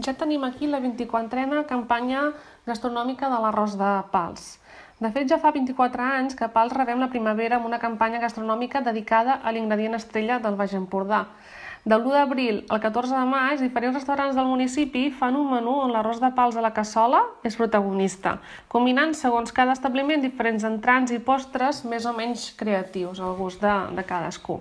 Ja tenim aquí la 24a campanya gastronòmica de l'arròs de Pals. De fet, ja fa 24 anys que a Pals rebem la primavera amb una campanya gastronòmica dedicada a l'ingredient estrella del Baix Empordà. De l'1 d'abril al 14 de maig, diferents restaurants del municipi fan un menú on l'arròs de Pals a la cassola és protagonista, combinant segons cada establiment diferents entrants i postres més o menys creatius, al gust de cadascú.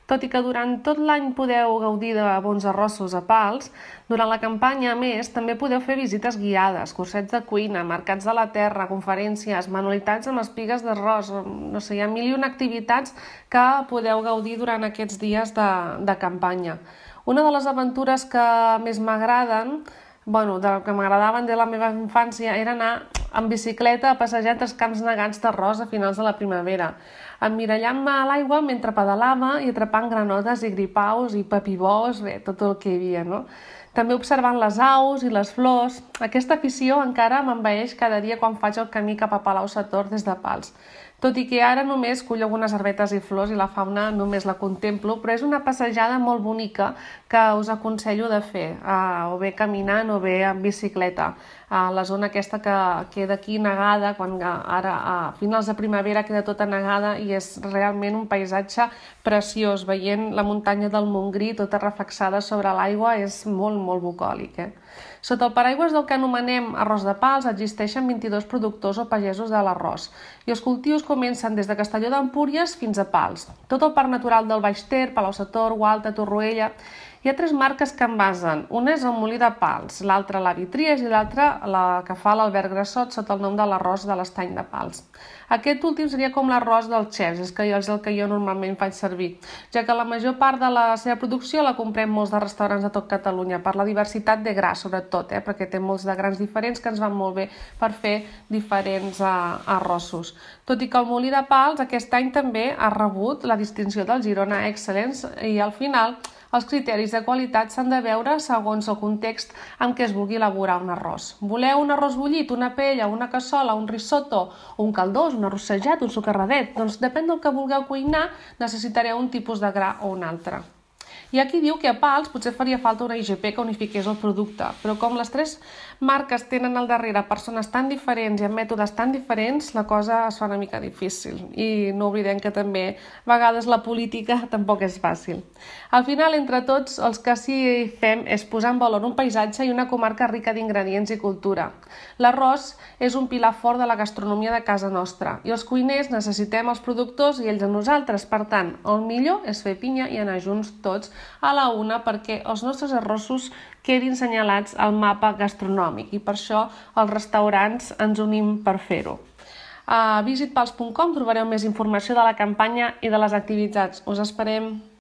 Tot i que durant tot l'any podeu gaudir de bons arrossos a Pals, durant la campanya, a més, també podeu fer visites guiades, cursets de cuina, mercats de la terra, conferències, manualitats amb espigues d'arròs, no sé, hi ha mil i una activitats que podeu gaudir durant aquests dies de campanya. Una de les aventures que més m'agraden, que m'agradaven de la meva infància, era anar en bicicleta a passejar entre els camps negats d'arròs a finals de la primavera, emmirallant-me a l'aigua mentre pedalava i atrapant granotes i gripaus i papibós, tot el que hi havia, no? També observant les aus i les flors. Aquesta afició encara m'envaeix cada dia quan faig el camí cap a Palau-sator des de Pals. Tot i que ara només cullo algunes herbetes i flors i la fauna només la contemplo, però és una passejada molt bonica que us aconsello de fer, o bé caminant o bé en bicicleta. A la zona aquesta que queda aquí negada, quan ara a finals de primavera queda tota negada i és realment un paisatge preciós, veient la muntanya del Montgrí tota reflexada sobre l'aigua és molt, molt bucòlic. Sota el paraigües del que anomenem arròs de Pals existeixen 22 productors o pagesos de l'arròs i els cultius comencen des de Castelló d'Empúries fins a Pals. Tot el parc natural del Baix Ter, Palau-sator, Gualta, Torroella. Hi ha 3 marques que envasen. Una és el Molí de Pals, l'altra la Vitries i l'altra la que fa l'Albert Grassot sota el nom de l'arròs de l'Estany de Pals. Aquest últim seria com l'arròs dels xefs, és el que jo normalment faig servir, ja que la major part de la seva producció la comprem molts de restaurants de tot Catalunya, per la diversitat de gra, sobretot, perquè té molts de grans diferents que ens van molt bé per fer diferents arrossos. Tot i que el Molí de Pals aquest any també ha rebut la distinció del Girona Excellence i al final els criteris de qualitat s'han de veure segons el context en què es vulgui elaborar un arròs. Voleu un arròs bullit, una paella, una cassola, un risotto, un caldós, un arrossejat, un socarradet? Doncs depèn del que vulgueu cuinar, necessitareu un tipus de gra o un altre. Hi ha qui diu que a Pals potser faria falta una IGP que unifiqués el producte, però com les 3 marques tenen al darrere persones tan diferents i amb mètodes tan diferents, la cosa es fa una mica difícil. I no oblidem que també a vegades la política tampoc és fàcil. Al final, entre tots, els que sí fem és posar en valor un paisatge i una comarca rica d'ingredients i cultura. L'arròs és un pilar fort de la gastronomia de casa nostra i els cuiners necessitem els productors i ells a nosaltres. Per tant, el millor és fer pinya i anar junts tots a la una perquè els nostres arrossos quedin senyalats al mapa gastronòmic i per això els restaurants ens unim per fer-ho. A visitpals.com trobareu més informació de la campanya i de les activitats. Us esperem!